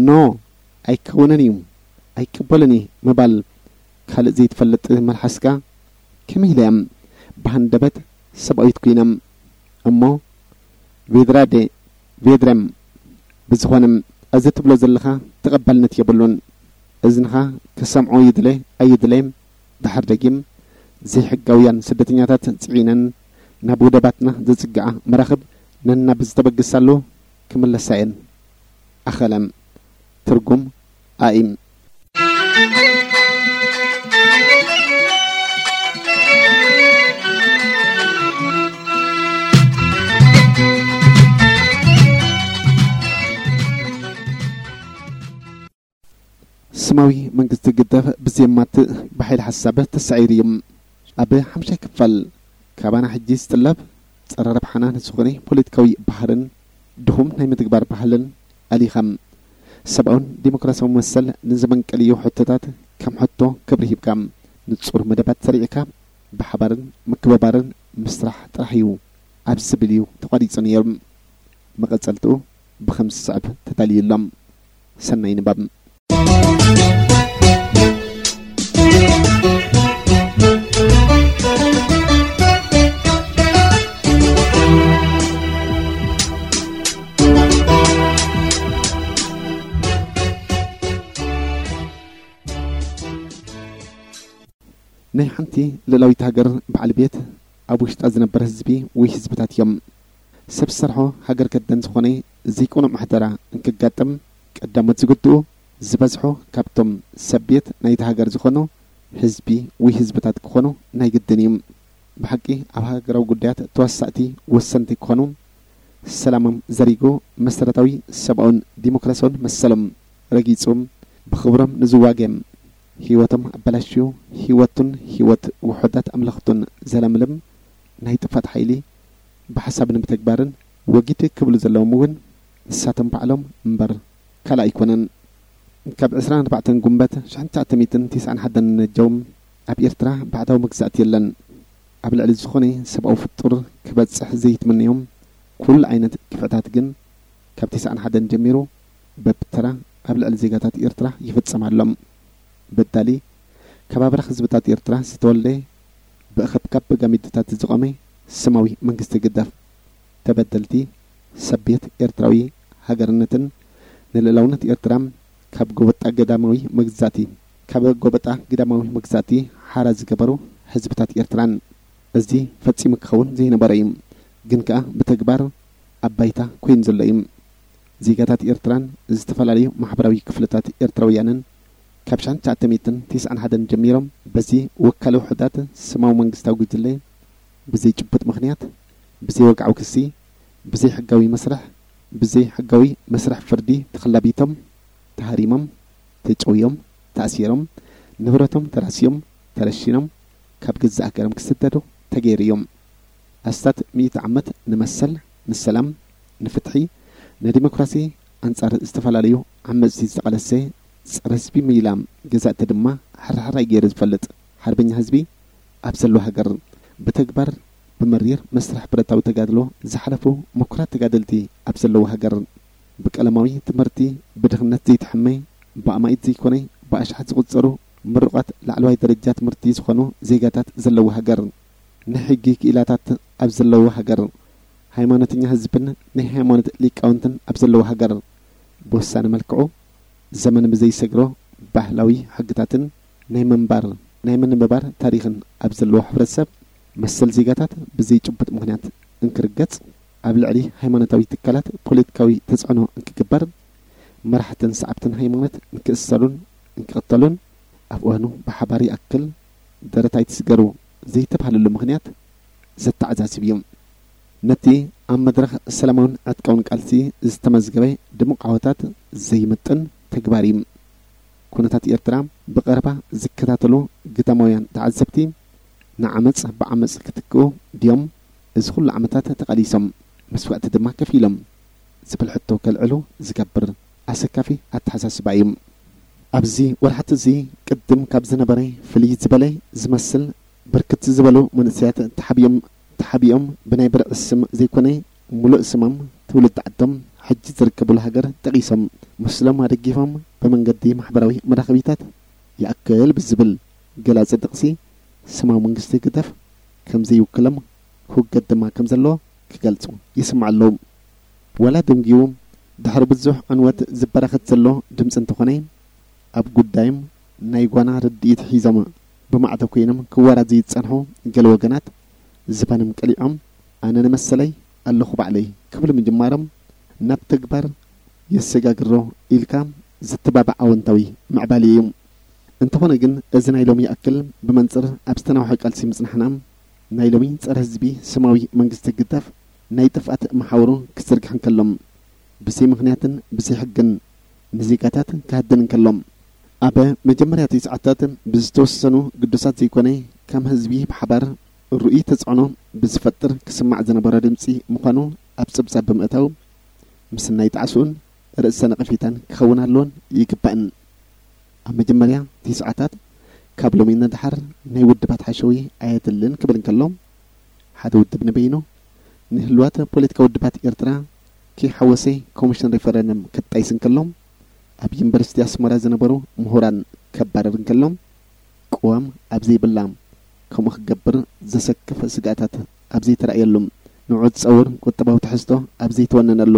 ኖ ኣይከውንን እዩ ኣይቅበልን እዩ ምባል ካልእ ዘይትፈልጥ መልሓስካ ከመይ ኢለ እያ ብሃንደበት ሰብኣዊት ኮይና እሞ ቬድራዴ ቬድረም ብዝኾነ እዚ ትብሎ ዘለኻ ተቐባልነት የብሉን። እዝንኻ ክሰምዖ ይድለ ኣይድለ ድሓር ደጊም ዘይሕጋውያን ስደተኛታት ጽዒነን ናብ ወደባትና ዘጽግዓ መራኽብ ነናብ ዝተበግሳሉ ክምለሳ እየን። ኣኸለ። ትርጉም ኣኢም። ስማዊ መንግስቲ ግደፍ ብዘየማትእ ብሓይሊ ሓሳብ ተሳዒሩ እዩ። ኣብ ሓምሻይ ክፋል ካባና ሕጂ ዝጥለብ ጸረ ረብሓና ንዝኾነ ፖለቲካዊ ባህርን ድኹም ናይ ምትግባር ባህልን ኣሊኻ፣ ሰብኣውን ዲሞክራሲያዊ መሰል ንዘመንቀልዮ ሕቶታት ከም ሕቶ ክብሪ ሂብካ፣ ንጹር መደባት ሰሪዕካ፣ ብሓባርን ምክብባርን ምስራሕ ጥራሕ እዩ ኣብ ዝብል እዩ ተቋሪጹ ነይሩ። መቐጸልትኡ ብኸምዚ ዝስዕብ ተዳልዩ ኣሎ። ሰናይ ንባብ። ናይ ሓንቲ ልእላዊት ሃገር በዓል ቤት ኣብ ውሽጣ ዝነበር ህዝቢ ወይ ህዝብታት እዮም። ሰብ ዝሰርሖ ሃገር ከደን ዝኾነ ዘይቅኑዕ ምሕደራ እንክጋጥም ቀዳሞት ዝግድኡ ዝበዝሑ ካብቶም ሰብ ቤት ናይቲ ሃገር ዝኾኑ ህዝቢ ወይ ህዝብታት ክኾኑ ናይ ግድን እዩ። ብሓቂ ኣብ ሃገራዊ ጉዳያት ተዋሳእቲ ወሰንቲ ክኾኑ፣ ሰላሞም ዘሪጉ፣ መሰረታዊ ሰብኣውን ዲሞክራሲያውን መሰሎም ረጊጹ፣ ብኽብሮም ንዝዋገ፣ ህይወቶም ኣበላሽዩ፣ ህይወቱን ህይወት ውሑዳት ኣምለኽቱን ዘለምልም ናይ ጥፋት ሓይሊ ብሓሳብን ብተግባርን ወጊድ ክብሉ ዘለዎም እውን ንሳቶም ባዕሎም እምበር ካልእ ኣይኮነን። ካብ ዕስራን ኣርባዕተን ጉንበት ሽሕን ትሽዓተ ሚእትን ተስዓን ሓደን ነጀው ኣብ ኤርትራ ባዕዳዊ መግዛእቲ የለን። ኣብ ልዕሊ ዝኾነ ሰብኣዊ ፍጡር ክበጽሕ ዘይትምነዮም ኩሉ ዓይነት ግፍዕታት ግን ካብ ተስዓን ሓደን ጀሚሩ በብተራ ኣብ ልዕሊ ዜጋታት ኤርትራ ይፍጸም ኣሎ። በዳሊ ካብ ኣብራኽ ህዝብታት ኤርትራ ዝተወልደ ብእኸብካብ በጋሚድታት ዝቖመ ስማዊ መንግስቲ ግዳፍ ተበደልቲ ሰብ ቤት ኤርትራዊ ሃገርነትን ንልእላውነት ኤርትራ ካብ ጎበጣ ገዳማዊ መግዛእቲ ካብ ጎበጣ ግዳማዊ መግዛእቲ ሓራ ዝገበሩ ህዝብታት ኤርትራን። እዚ ፈጺሙ ክኸውን ዘይነበረ እዩ፣ ግን ከኣ ብተግባር ኣብ ባይታ ኮይኑ ዘሎ እዩ። ዜጋታት ኤርትራን ዝተፈላለዩ ማሕበራዊ ክፍልታት ኤርትራውያንን ካብ ሽሕን ትሽዓተ ሚእትን ተስዓን ሓደን ጀሚሮም በዚ ወካሊ ውሑዳት ስማዊ መንግስታዊ ጉጅለ ብዘይ ጭቡጥ ምኽንያት፣ ብዘይ ወግዓዊ ክሲ፣ ብዘይ ሕጋዊ መስርሕ፣ ብዘይ ሕጋዊ መስርሕ ፍርዲ ተኸላቢቶም፣ ተሃሪሞም፣ ተጨውዮም፣ ተኣሲሮም፣ ንብረቶም ተራስዮም፣ ተረሺኖም፣ ካብ ገዛእ ሃገሮም ክስደዱ ተገይሩ እዮም። ኣስታት ሚእቲ ዓመት ንመሰል፣ ንሰላም፣ ንፍትሒ፣ ንዲሞክራሲ ኣንጻር ዝተፈላለዩ ዓመጽቲ ዝተቓለሰ ጸረ ህዝቢ ምይላ ገዛእቲ ድማ ሕራሕራይ ገይሩ ዝፈልጥ ሓርበኛ ህዝቢ ኣብ ዘለዎ ሃገር፣ ብተግባር ብመሪር መስርሕ ብረታዊ ተጋድሎ ዝሓለፉ ምኩራት ተጋደልቲ ኣብ ዘለዎ ሃገር፣ ብቀለማዊ ትምህርቲ ብድኽነት ዘይተሐመ፣ ብኣማኢት ዘይኮነ ብኣሽሓት ዝቑጸሩ ምሩቓት ላዕለዋይ ደረጃ ትምህርቲ ዝኾኑ ዜጋታት ዘለዎ ሃገር፣ ናይ ሕጊ ክኢላታት ኣብ ዘለዎ ሃገር፣ ሃይማኖተኛ ህዝብን ናይ ሃይማኖት ሊቃውንትን ኣብ ዘለዎ ሃገር፣ ብወሳኒ መልክዑ ዘመን ብዘይሰግሮ ባህላዊ ሕግታትን ናይ ምንባር ናይ ምንብባር ታሪኽን ኣብ ዘለዎ ሕብረተሰብ፣ መሰል ዜጋታት ብዘይ ጭቡጥ ምኽንያት እንክርገጽ፣ ኣብ ልዕሊ ሃይማኖታዊ ትካላት ፖለቲካዊ ተጽዕኖ እንክግበር፣ መራሕትን ሰዓብትን ሃይማኖት እንክእሰሩን እንክቕተሉን፣ ኣብ እዋኑ ብሓባር ይኣክል ደረት ኣይትስገሩ ዘይተባህለሉ ምኽንያት ዘተዓዛዝብ እዩ። ነቲ ኣብ መድረኽ ሰላማውን ዕጥቃውን ቃልሲ ዝተመዝገበ ድሙቕ ዓወታት ዘይምጥን ተግባር እዩ። ኩነታት ኤርትራ ብቐረባ ዝከታተሉ ግዳማውያን ተዓዘብቲ፣ ንዓመጽ ብዓመጽ ክትክኡ ድዮም እዚ ኩሉ ዓመታት ተቓሊሶም መስዋእቲ ድማ ከፊሎም ዝብል ሕቶ ከልዕሉ ዝገብር ኣሰካፊ ኣተሓሳስባ እዩ። ኣብዚ ወርሓት እዚ ቅድም ካብ ዝነበረ ፍልይ ዝበለ ዝመስል ብርክት ዝበሉ መንእሰያት ተሓቢኦም ተሓቢኦም ብናይ ብርዒ ስም ዘይኮነ ሙሉእ ስሞም ትውልዲ ዓዶም ሕጂ ዝርከቡሉ ሃገር ጠቒሶም ምስሎም ኣደጊፎም ብመንገዲ ማሕበራዊ መራኸቢታት ይኣክል ብዝብል ገላጺ ጥቕሲ ስማዊ መንግስቲ ህግደፍ ከም ዘይውክሎም ክውገድ ድማ ከም ዘለዎ ክገልጹ ይስምዑ ኣለዉ። ዋላ ደንጊዩ ድሕሪ ብዙሕ ዕንወት ዝበራኸት ዘሎ ድምጺ እንተኾነ፣ ኣብ ጉዳዮም ናይ ጓና ርድኢት ሒዞም ብማዕዶ ኮይኖም ክወራዘዩ ዝጸንሑ ገለ ወገናት ዝባኖም ቀሊዖም፣ ኣነ ንመሰለይ ኣለኹ ባዕለይ ክብሉ ምጅማሮም ናብ ተግባር የሰጋግሮ ኢልካ ዝትባባዕ ኣወንታዊ ምዕባለ እዩ። እንተኾነ ግን፣ እዚ ናይ ሎሚ ይኣክል ብመንጽር ኣብ ዝተናውሐ ቃልሲ ምጽናሕና፣ ናይ ሎሚ ጸረ ህዝቢ ስማዊ መንግስቲ ህግደፍ ናይ ጥፍኣት መሓውሩ ክዝርግሕ እንከሎ፣ ብዘይ ምኽንያትን ብዘይ ሕግን ንዜጋታት ክሃድን እንከሎ፣ ኣብ መጀመርያ እቲ ሰዓታት ብዝተወሰኑ ግዱሳት ዘይኮነ ከም ህዝቢ ብሓባር ርኡይ ተጽዕኖ ብዝፈጥር ክስማዕ ዝነበሮ ድምጺ ምዃኑ ኣብ ጸብጻብ ብምእታው፣ ምስናይ ጣዕስኡን ርእሰ ነቐፌታን ክኸውን ኣለዎን ይግባእን። ኣብ መጀመርያ ትስዓታት ካብ ሎሚ ንደሓር ናይ ውድባት ሓሸዊ ኣየድልን ክብል እንከሎ፣ ሓደ ውድብ ንበይኑ ንህልዋት ፖለቲካዊ ውድባት ኤርትራ ከይሓወሰ ኮሚሽን ሪፈረንደም ክጣይስ እንከሎ፣ ኣብ ዩኒቨርሲቲ ኣስመራ ዝነበሩ ምሁራን ከባረር እንከሎ፣ ቅዋም ኣብ ዘይብላ ከምኡ ክገብር ዘሰክፍ ስግኣታት ኣብ ዘይተራእየሉ፣ ንዑ ዝጸውር ቁጠባዊ ትሕዝቶ ኣብ ዘይተወነነሉ፣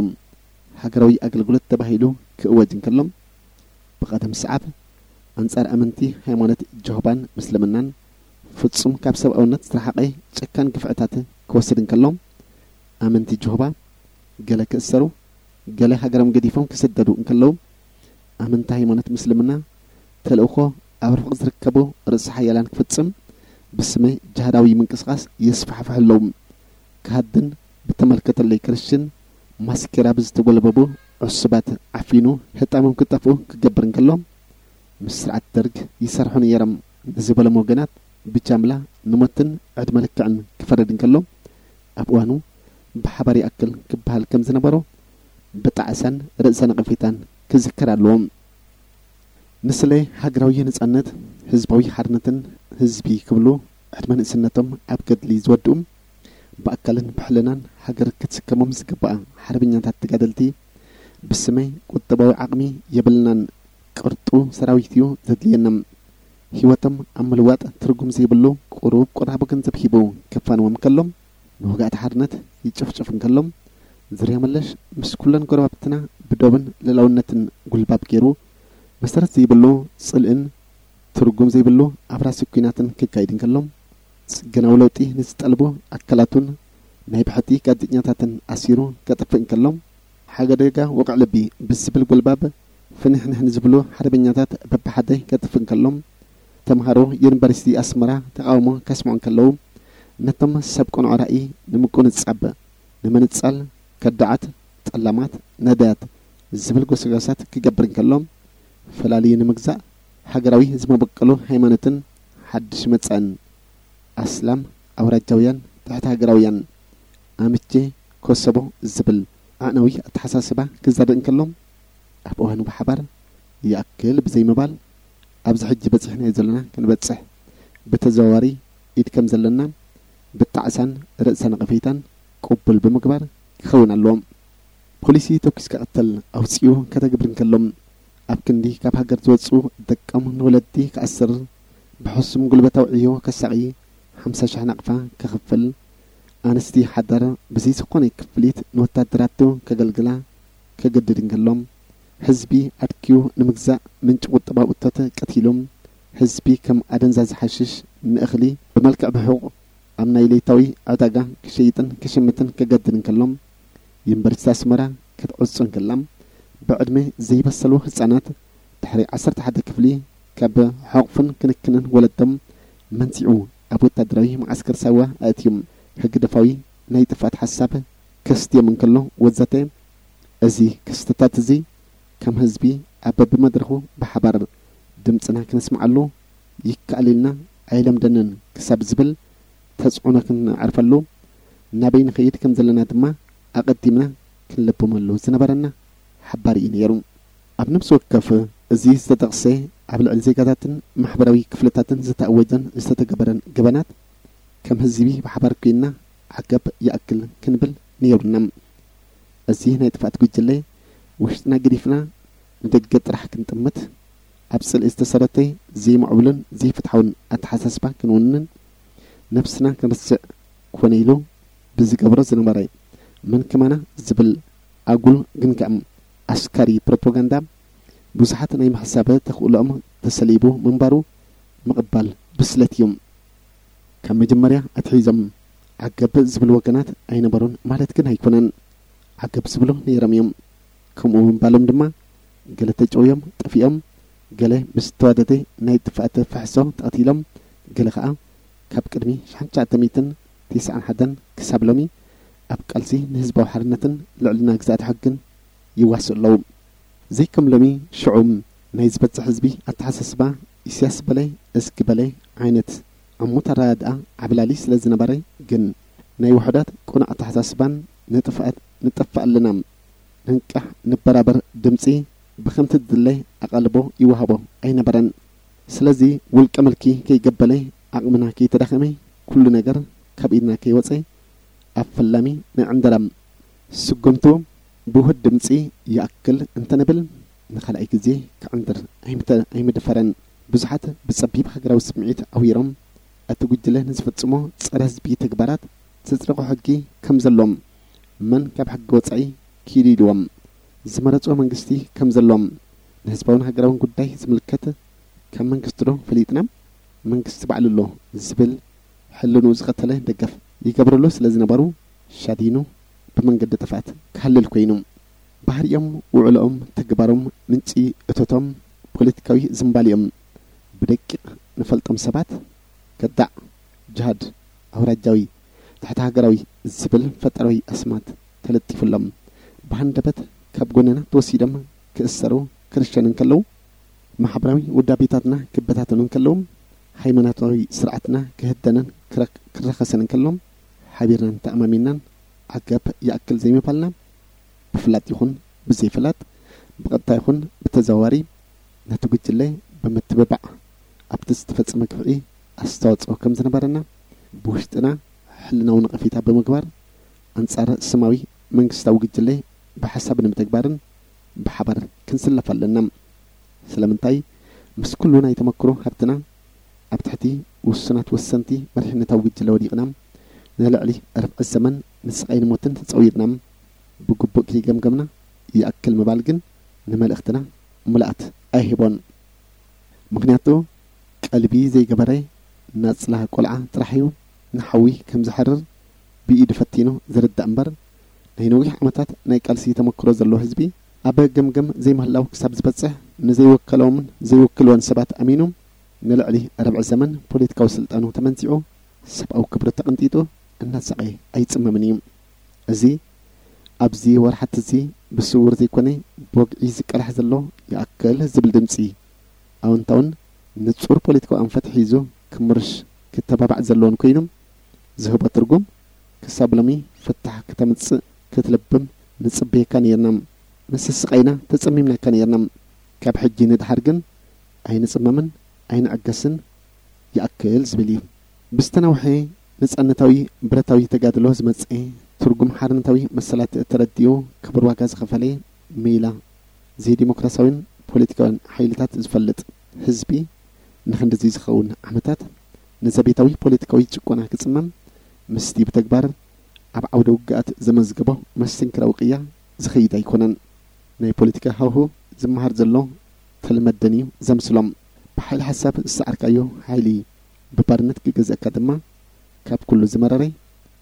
ሃገራዊ ኣገልግሎት ተባሂሉ ክእወጅ እንከሎ፣ ብቐደም ሰዓብ ኣንጻር ኣመንቲ ሃይማኖት ጀሆባን ምስልምናን ፍጹም ካብ ሰብኣውነት ዝተረሓቐ ጨካን ግፍዕታት ክወስድ እንከሎ፣ ኣመንቲ ጀሆባ ገለ ክእሰሩ፣ ገለ ሃገሮም ገዲፎም ክስደዱ እንከለዉ፣ ኣመንቲ ሃይማኖት ምስልምና ተልእኾ ኣብ ርሑቕ ዝርከቡ ርእሰ ሓያላን ክፍጽም ብስመ ጅሃዳዊ ምንቅስቓስ የስፋሕፍሑ ኣለዉ። ክሃድን ብተመልከተለይ ክርስቲን ማስኬራ ብዝተጎልበቡ ዕሱባት ዓፊኑ ህጣሞም ክጠፍኡ ክገብር እንከሎ፣ ምስ ስርዓት ደርግ ይሰርሑ ነይሮም ንዝበሎም ወገናት ብጃምላ ንሞትን ዕድመ ልክዕን ክፈርድ እንከሎ፣ ኣብ እዋኑ ብሓባር ይኣክል ክበሃል ከም ዝነበሮ ብጣዕሳን ርእሰ ነቐፌታን ክዝከር ኣለዎ። ንስለ ሃገራዊ ነጻነት፣ ህዝባዊ ሓርነትን ህዝቢ ክብሉ ዕድመ ንእስነቶም ኣብ ገድሊ ዝወድኡ፣ ብኣካልን ብሕልናን ሃገር ክትስከሞም ዝግባኣ ሓርበኛታት ተጋደልቲ፣ ብስመይ ቁጠባዊ ዓቕሚ የብልናን፣ ቅርጡ ሰራዊት እዩ ዘድልየና፣ ህይወቶም ኣብ ምልዋጥ ትርጉም ዘይብሉ ቁሩብ ቁራቦ ገንዘብ ሂቡ ከፋንዎም ከሎ፣ ንወጋእቲ ሓርነት ይጭፍጭፍ እንከሎ፣ ዙርያ መለሽ ምስ ኩለን ጎረባብትና ብዶብን ልእላውነትን ጉልባብ ገይሩ፣ መሰረት ዘይብሉ ጽልእን ትርጉም ዘይብሉ ኣብራሲ ኲናትን ክካይድ እንከሎ፣ ጽገናዊ ለውጢ ንዝጠልቡ ኣካላቱን ናይ ብሕቲ ጋዜጠኛታትን ኣሲሩ ከጥፍእ እንከሎ፣ ሓደጋ ወቕዒ ልቢ ብዝብል ጉልባብ ፍንሕንሕ ንዝብሉ ሓርበኛታት በብሓደ ከጥፍእ እንከሎ፣ ተምሃሮ ዩኒቨርሲቲ ኣስመራ ተቓውሞ ከስምዑ እንከለዉ፣ ነቶም ሰብ ቅኑዕ ራእይ ንምቁንጻብ፣ ንምንጻል፣ ከዳዓት፣ ጠላማት፣ ነዳያት ዝብል ጎስጓሳት ክገብር እንከሎ፣ ፈላልዩ ንምግዛእ ሃገራዊ ዝመበቀሉ ሃይማኖትን ሓድሽ መጻእን ኣስላም፣ ኣውራጃውያን፣ ትሕቲ ሃገራውያን፣ ኣምቼ፣ ኮሶቦ ዝብል ኣዕናዊ ኣተሓሳስባ ክዘርእ እንከሎ፣ ኣብ እዋኑ ብሓባር ይኣክል ብዘይምባል፣ ኣብዚ ሕጂ በጺሕናዮ ዘለና ክንበጽሕ ብተዘዋዋሪ ኢድ ከም ዘለና ብጣዕሳን ርእሰ ነቐፌታን ቅቡል ብምግባር ክኸውን ኣለዎ። ፖሊሲ ተኲስካ ቅተል ኣውጺኡ ከተግብር እንከሎ፣ ኣብ ክንዲ ካብ ሃገር ዝወጹ ደቆም ንወለዲ ክኣስር፣ ብሕሱም ጉልበታዊ ዕዮ ከሳቒ፣ ሓምሳ ሽሕ ናቕፋ ከኽፍል፣ ኣንስቲ ሓዳር ብዘይ ዝኾነ ክፍሊት ንወታደራቱ ከገልግላ ከገድድ እንከሎ፣ ህዝቢ ኣድክዩ ንምግዛእ ምንጪ ቁጠባዊ እቶት ቀቲሉ፣ ህዝቢ ከም ኣደንዛዚ ሓሽሽ ንእኽሊ ብመልክዕ ብሑቕ ኣብ ናይ ለይታዊ ዕዳጋ ክሸይጥን ክሽምትን ከገድድ እንከሎ፣ ዩኒቨርሲቲ ኣስመራ ክትዕጾ እንከላ፣ ብዕድመ ዘይበሰሉ ህጻናት ድሕሪ ዓሰርተ ሓደ ክፍሊ ካብ ሕቑፍን ክንክንን ወለዶም መንጺዑ ኣብ ወታደራዊ መዓስከር ሳዋ ኣእትዩ ህግደፋዊ ናይ ጥፍኣት ሓሳብ ከስትዮም እንከሎ ወዘተ። እዚ ክስተታት እዚ ከም ህዝቢ ኣብ በብመድረኹ ብሓባር ድምጽና ክነስምዓሉ ይከኣል ኢልና ኣይለምደንን ክሳብ ዝብል ተጽዕኖ ክንዓርፈሉ ናበይ ንኸይድ ከም ዘለና ድማ ኣቐዲምና ክንልብመሉ ዝነበረና ሓባር እዩ ነይሩ። ኣብ ነፍሲ ወከፍ እዚ ዝተጠቕሰ ኣብ ልዕሊ ዜጋታትን ማሕበራዊ ክፍልታትን ዝተኣወጀን ዝተተገበረን ገበናት ከም ህዝቢ ብሓባር ኮይንና ዓገብ ይኣክል ክንብል ነይሩና። እዚ ናይ ጥፍኣት ጉጅለ ውሽጥና ገዲፍና ንደገ ጥራሕ ክንጥምት፣ ኣብ ጽልኢ ዝተሰረተ ዘይምዕቡልን ዘይፍትሓውን ኣተሓሳስባ ክንውንን ነብስና ክንርስዕ ኮነ ኢሉ ብዝገብሮ ዝነበረ መን ከማና ዝብል ኣጉል ግን ከኣ ኣስካሪ ፕሮፓጋንዳ ብዙሓት ናይ ምሕሳብ ተኽእሎኦም ተሰሊቡ ምንባሩ ምቕባል ብስለት እዩ። ካብ መጀመርያ ኣትሒዞም ዓገብ ዝብሉ ወገናት ኣይነበሩን ማለት ግን ኣይኮነን። ዓገብ ዝብሉ ነይሮም እዮም። ከምኡ ምባሎም ድማ ገለ ተጨውዮም ጠፊኦም፣ ገለ ምስ ዝተዋደደ ናይ ጥፍኣት ፍሕሶ ተቐቲሎም፣ ገለ ኸኣ ካብ ቅድሚ ሽሕን ትሽዓተ ሚእትን ተስዓን ሓደን ክሳብ ሎሚ ኣብ ቃልሲ ንህዝባዊ ሓርነትን ልዕልና ግዝኣት ሕግን ይዋስኡ ኣለዉ። ዘይከም ሎሚ ሽዑ ናይ ዝበዝሕ ህዝቢ ኣተሓሳስባ ኢሳያስ በለ እስኪ በለ ዓይነት ዕሙት ኣረዳድኣ ዓብላሊ ስለ ዝነበረ ግን ናይ ውሑዳት ቅኑዕ ኣተሓሳስባን ንጥፍኣት ንጠፍእ ኣለና፣ ንንቃሕ፣ ንበራበር ድምጺ ብኸምቲ ዝድለ ኣቓልቦ ይወሃቦ ኣይነበረን። ስለዚ ውልቀ ምልኪ ከይገበለ፣ ዓቕምና ከይተዳኸመ፣ ኩሉ ነገር ካብ ኢድና ከይወጸ ኣብ ፈላሚ ናይ ዕንደራ ስጉምቱ ብውሁድ ድምጺ ይኣክል እንተንብል ንኻልኣይ ግዜ ክዕንድር ኣይምተ-፣ ኣይምደፈረን። ብዙሓት ብጸቢብ ሃገራዊ ስምዒት ዓዊሮም እቲ ጉጅለ ንዝፈጽሞ ጸረ ህዝቢ ተግባራት ዘጽደቖ ሕጊ ከም ዘሎም መን ካብ ሕጊ ወጻኢ ኪዱ ኢልዎም ዝመረጾ መንግስቲ ከም ዘሎም ንህዝባውን ሃገራውን ጉዳይ ዝምልከት ካብ መንግስቲ ዶ ፈሊጥና መንግስቲ ባዕሉ ኣሎ ዝብል ሕልንኡ ዝቐተለ ደገፍ ይገብረሉ ስለ ዝነበሩ ሻዲኑ ብመንገዲ ጥፍኣት ክሃልል ኮይኑ። ባህሪኦም፣ ውዕሎኦም፣ ተግባሮም፣ ምንጪ እቶቶም፣ ፖለቲካዊ ዝንባሊኦም ብደቂቕ ንፈልጦም ሰባት ከዳዕ፣ ጅሃድ፣ ኣውራጃዊ፣ ትሕቲ ሃገራዊ ዝብል ፈጠራዊ ኣስማት ተለጢፉሎም ብሃንደበት ካብ ጎንና ተወሲዶም ክእሰሩ ክርሸኑ እንከለዉ፣ ማሕበራዊ ውዳቤታትና ክበታተኑ እንከለዉ፣ ሃይማኖታዊ ስርዓትና ክህደንን ክረ-፣ ክረኸስን እንከሎ፣ ሓቢርናን ተኣማሚንናን ዓገብ ይኣክል ዘይምባልና፣ ብፍላጥ ይኹን ብዘይፍላጥ፣ ብቐጥታ ይኹን ብተዘዋዋሪ፣ ነቲ ጉጅለ ብምትብባዕ ኣብቲ ዝተፈጸመ ግፍዒ ኣስተዋጽኦ ከም ዝነበረና፣ ብውሽጥና ሕልናዊ ነቐፌታ ብምግባር፣ ኣንጻር ስማዊ መንግስታዊ ጉጅለ ብሓሳብ ንምትግባርን ብሓባር ክንስለፍ ኣለና። ስለምንታይ? ምስ ኩሉ ናይ ተመክሮ ሃብትና ኣብ ትሕቲ ውሱናት ወሰንቲ መሪሕነታዊ ጉጅለ ወዲቕና፣ ንልዕሊ ርብዒ ዘመን ንስቓይን ሞትን ተጸዊርና፣ ብግቡእ ከይገምገምና ይኣክል ምባል ግን ንመልእኽትና ምልኣት ኣይህቦን። ምኽንያቱ፣ ቀልቢ ዘይገበረ ናጽላ ቆልዓ ጥራሕ እዩ ንሓዊ ከም ዝሓርር ብኢዱ ፈቲኑ ዝርዳእ እምበር፣ ናይ ነዊሕ ዓመታት ናይ ቃልሲ ተመክሮ ዘለዎ ህዝቢ፣ ኣብ ገምገም ዘይምህላው ክሳብ ዝበጽሕ፣ ንዘይወከሎምን ዘይውክልዎን ሰባት ኣሚኑ፣ ንልዕሊ ርብዒ ዘመን ፖለቲካዊ ስልጣኑ ተመንዚዑ፣ ሰብኣዊ ክብሩ ተቐንጢጡ እናሳቐየ ኣይጽመምን እዩ። እዚ ኣብዚ ወርሓት እዚ ብስውር ዘይኮነ ብወግዒ ዝቀላሕ ዘሎ ይኣክል ዝብል ድምጺ ኣወንታውን ንጹር ፖለቲካዊ ኣንፈት ሒዙ ክምርሽ ክተባባዕ ዘለዎን ኮይኑ ዝህቦ ትርጉም ክሳብ ሎሚ ፍታሕ ክተምጽእ ክትልብም ንጽበየካ ነይርና። ምስ ስቓይና ተጸሚምናካ ነይርና። ካብ ሕጂ ንድሓር ግን ኣይንጽመምን ኣይንዕገስን ይኣክል ዝብል እዩ። ብዝተናውሐ ነጻነታዊ ብረታዊ ተጋድሎ ዝመጽአ ትርጉም ሓርነታዊ መሰላት እተረዲኡ ክቡር ዋጋ ዝኸፈለ ሜላ ዘይዲሞክራሲያዊን ፖለቲካዊን ሓይልታት ዝፈልጥ ህዝቢ ንኽንድዚ ዝኸውን ዓመታት ንዘቤታዊ ፖለቲካዊ ጭቆና ክጽመም ምስቲ ብተግባር ኣብ ዓውደ ውግኣት ዘመዝገቦ መስተንክራዊ ቅያ ዝኸይድ ኣይኮነን። ናይ ፖለቲካ ሃውሁ ዝመሃር ዘሎ ተልመደን እዩ ዘምስሎም። ብሓይሊ ሓሳብ ዝሰዓርካዮ ሓይሊ ብባርነት ክገዝእካ ድማ ካብ ኩሉ ዝመረረ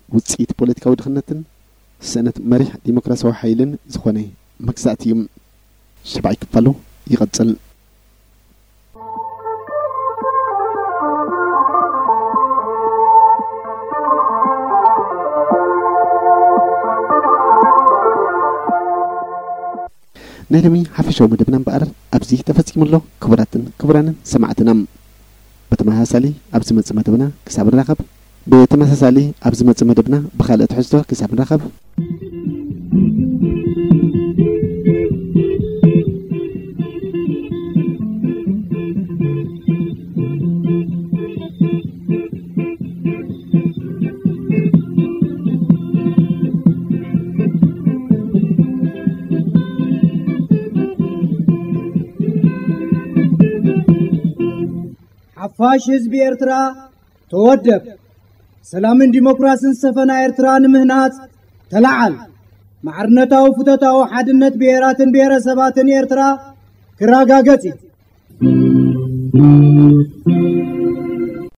ውጽኢት ፖለቲካዊ ድኽነትን ስእነት መሪሕ ዲሞክራሲያዊ ሓይልን ዝኾነ መግዛእቲ እዩ። ሻብዓይ ክፋሉ ይቐጽል። ናይ ሎሚ ሓፈሻዊ መደብና እምበኣር ኣብዚ ተፈጺሙ ኣሎ። ክቡራትን ክቡራንን ሰማዕትና፣ ብተመሳሳሊ ኣብ ዝመጽእ መደብና ክሳብ ንራኸብ፣ ብተመሳሳሊ ኣብ ዝመጽእ መደብና ብኻልእ ትሕዝቶ ክሳብ ንራኸብ፣ ሓፋሽ ህዝቢ ኤርትራ ተወደብ። ሰላምን ዲሞክራስን ዝሰፈና ኤርትራ ንምህናጽ ተለዓል። ማዕርነታዊ ፍቶታዊ ሓድነት ብሄራትን ብሄረሰባትን ኤርትራ ክረጋገጽ እዩ።